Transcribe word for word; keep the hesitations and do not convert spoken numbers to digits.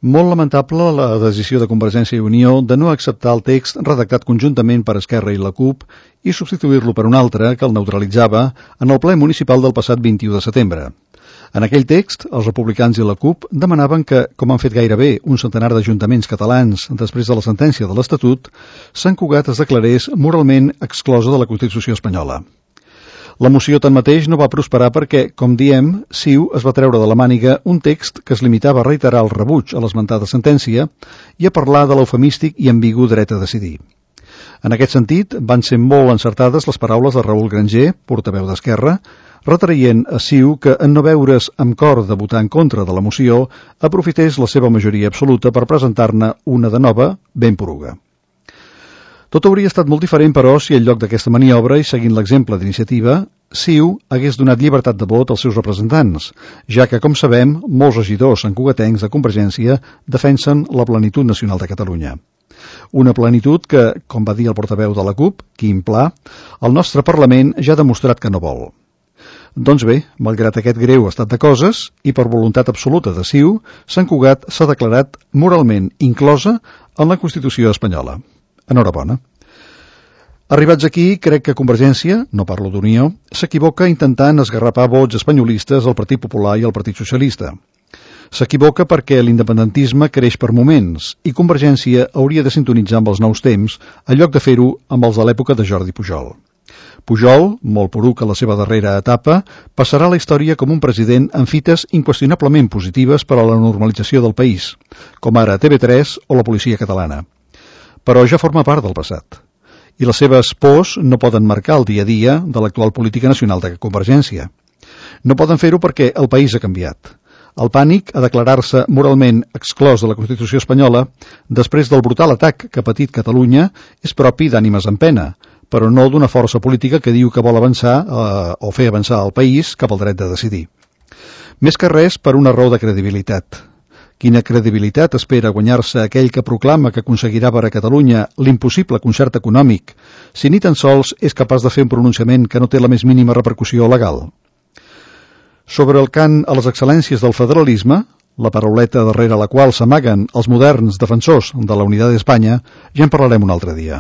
Molt lamentable la decisió de Convergència i Unió de no acceptar el text redactat conjuntament per Esquerra i la CUP i substituir-lo per un altre que el neutralitzava en el ple municipal del passat vint-i-u de setembre. En aquell text, els republicans i la CUP demanaven que, com han fet gairebé un centenar d'ajuntaments catalans després de la sentència de l'Estatut, Sant Cugat es declarés moralment exclosa de la Constitució espanyola. La moció, tanmateix, no va prosperar perquè, com diem, CiU es va treure de la màniga un text que es limitava a reiterar el rebuig a l'esmentada sentència i a parlar de l'eufemístic i ambigu dret a decidir. En aquest sentit, van ser molt encertades les paraules de Raül Granger, portaveu d'Esquerra, retraient a CiU que, en no veure's amb cor de votar en contra de la moció, aprofités la seva majoria absoluta per presentar-ne una de nova, ben poruga. Tot hauria estat molt diferent, però, si en lloc d'aquesta maniobra i seguint l'exemple d'iniciativa, CiU hagués donat llibertat de vot als seus representants, ja que, com sabem, molts regidors santcugatencs de Convergència defensen la plenitud nacional de Catalunya. Una plenitud que, com va dir el portaveu de la CUP, Quim Pla, el nostre Parlament ja ha demostrat que no vol. Doncs bé, malgrat aquest greu estat de coses, i per voluntat absoluta de CiU, Sant Cugat s'ha declarat moralment inclosa en la Constitució espanyola. Enhorabona. Arribats aquí, crec que Convergència, no parlo d'Unió, s'equivoca intentant esgarrapar vots espanyolistes al Partit Popular i al Partit Socialista. S'equivoca perquè l'independentisme creix per moments i Convergència hauria de sintonitzar amb els nous temps en lloc de fer-ho amb els de l'època de Jordi Pujol. Pujol, molt poruc a la seva darrera etapa, passarà a la història com un president amb fites inqüestionablement positives per a la normalització del país, com ara T V tres o la policia catalana. Però ja forma part del passat. I les seves pors no poden marcar el dia a dia de l'actual política nacional de Convergència. No poden fer-ho perquè el país ha canviat. El pànic a declarar-se moralment exclòs de la Constitució espanyola després del brutal atac que ha patit Catalunya és propi d'ànimes en pena, però no d'una força política que diu que vol avançar eh, o fer avançar el país cap al dret de decidir. Més que res per una raó de credibilitat. Quina credibilitat espera guanyar-se aquell que proclama que aconseguirà per a Catalunya l'impossible concert econòmic, si ni tan sols és capaç de fer un pronunciament que no té la més mínima repercussió legal? Sobre el cant a les excel·lències del federalisme, la parauleta darrere la qual s'amaguen els moderns defensors de la unitat d'Espanya, ja en parlarem un altre dia.